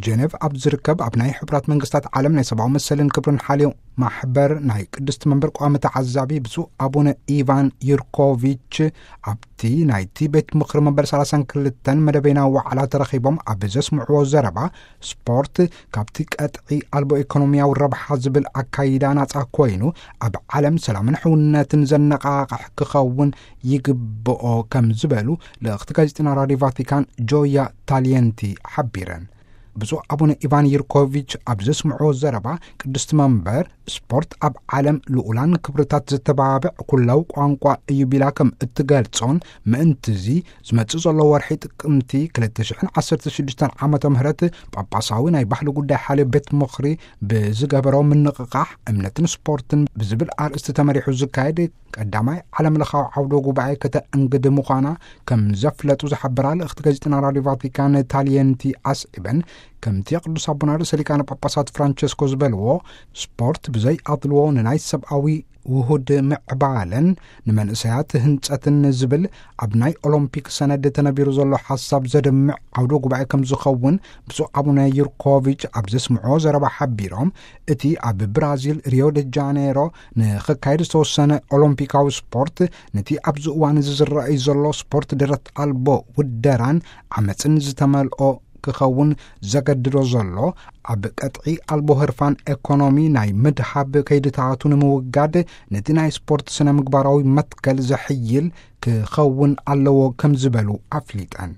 ጀኔቭ ኣብ ዝርከብ ኣብ ናይ ሕቡራት መንግስታት ዓለም ናይ ሰብኣዊ መሰልን ክብርን ሓልዮ ማሕበር ናይ ቅድስቲ መንበር ቋሚ ተዓዛቢ ብፁዕ ኣቡነ ኢቫን ዩርኮቪች፣ ኣብቲ ናይቲ ቤት ምኽሪ መንበር ሰላሳን ክልተን መደበና ዋዕላ ተረኺቦም ኣብ ዘስምዕዎ ዘረባ፣ ስፖርት ካብቲ ቀጥዒ ኣልቦ ኢኮኖሚያዊ ረብሓ ዝብል ኣካይዳ ናጻ ኮይኑ፣ ኣብ ዓለም ሰላምን ሕውነትን ዘነቓቕሕ ክኸውን ይግብኦ ከም ዝበሉ ልእኽቲ ጋዜጠና ራዲዮ ቫቲካን ጆያ ታሊየንቲ ሓቢረን። ብፁዕ ኣቡነ ኢቫን ዩርኮቪች ኣብ ዘስምዕዎ ዘረባ፣ ቅድስቲ መንበር ስፖርት ኣብ ዓለም ልኡላን ክብርታት ዘተባብዕ ኩላዊ ቋንቋ እዩ ቢላ ከም እትገልጾን፣ ምእንትዚ ዝመጽእ ዘሎ ወርሒ ጥቅምቲ ክልተ ሽሕን ዓሰርተ ሽዱሽተን ዓመተ ምህረት ጳጳሳዊ ናይ ባህሊ ጉዳይ ሓልዮ ቤት ምኽሪ ብዝገበሮ ምንቕቓሕ እምነትን ስፖርትን ብዝብል ኣርእስቲ ተመሪሑ ዝካየድ ቀዳማይ ዓለም ለኻዊ ዓውደ ጉባኤ ከተእንግድ ምዃና ከም ዘፍለጡ ዝሓበራ ልእኽቲ ጋዜጠና ራዲዮ ቫቲካን ታሊየንቲ ኣስዒበን፣ ከምቲ ቅዱስ ኣቦና ርእሰ ሊቃነ ጳጳሳት ፍራንቸስኮ ዝበልዎ፣ ስፖርት ብዘይ ኣድልዎ ንናይ ሰብኣዊ ውሁድ ምዕባለን ንመንእሰያት ህንጸትን ዝብል ኣብ ናይ ኦሎምፒክ ሰነድ ተነቢሩ ዘሎ ሓሳብ ዘድምዕ ዓውደ ጉባኤ ከም ዝኸውን ብፁዕ ኣቡነ ዩርኮቪች ኣብ ዘስምዖ ዘረባ ሓቢሮም፣ እቲ ኣብ ብራዚል ሪዮ ደ ጃኔሮ ንኽካየድ ዝተወሰነ ኦሎምፒካዊ ስፖርት፣ ነቲ ኣብዚ እዋን እዚ ዝረኣይ ዘሎ ስፖርት ደረት ኣልቦ ውደራን ዓመፅን ዝተመልኦ ክኸውን ዘገድዶ ዘሎ፣ ኣብ ቀጥዒ ኣልቦ ህርፋን ኤኮኖሚ ናይ ምድሃብ ከይድታቱ ንምውጋድ፣ ነቲ ናይ ስፖርት ስነ ምግባራዊ መትከል ዘሕይል ክኸውን ኣለዎ ከም ዝበሉ ኣፍሊጠን።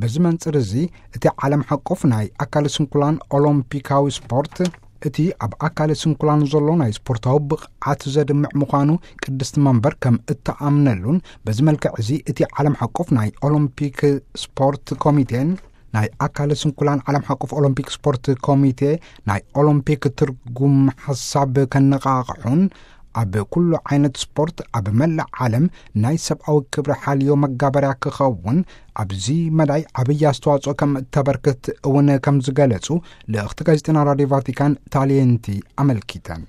በዚ መንጽር እዚ፣ እቲ ዓለም ሓቆፍ ናይ ኣካለ ስንኩላን ኦሎምፒካዊ ስፖርት፣ እቲ ኣብ ኣካለ ስንኩላን ዘሎ ናይ ስፖርታዊ ብቕዓት ዘድምዕ ምዃኑ ቅድስቲ መንበር ከም እተኣምነሉን፣ በዚ መልክዕ እዚ እቲ ዓለም ሓቆፍ ናይ ኦሎምፒክ ስፖርት ኮሚቴን ናይ ኣካለ ስንኩላን ዓለም ሓቆፍ ኦሎምፒክ ስፖርት ኮሚቴ ናይ ኦሎምፒክ ትርጉም ሓሳብ ከነቓቕሑን፣ ኣብ ኩሉ ዓይነት ስፖርት ኣብ መላእ ዓለም ናይ ሰብኣዊ ክብሪ ሓልዮ መጋበርያ ክኸውን ኣብዚ መዳይ ዓብዪ ኣስተዋጽኦ ከም እተበርክት እውን ከም ዝገለጹ ልእኽቲ ጋዜጠና ራዲዮ ቫቲካን ታሊየንቲ ኣመልኪተን።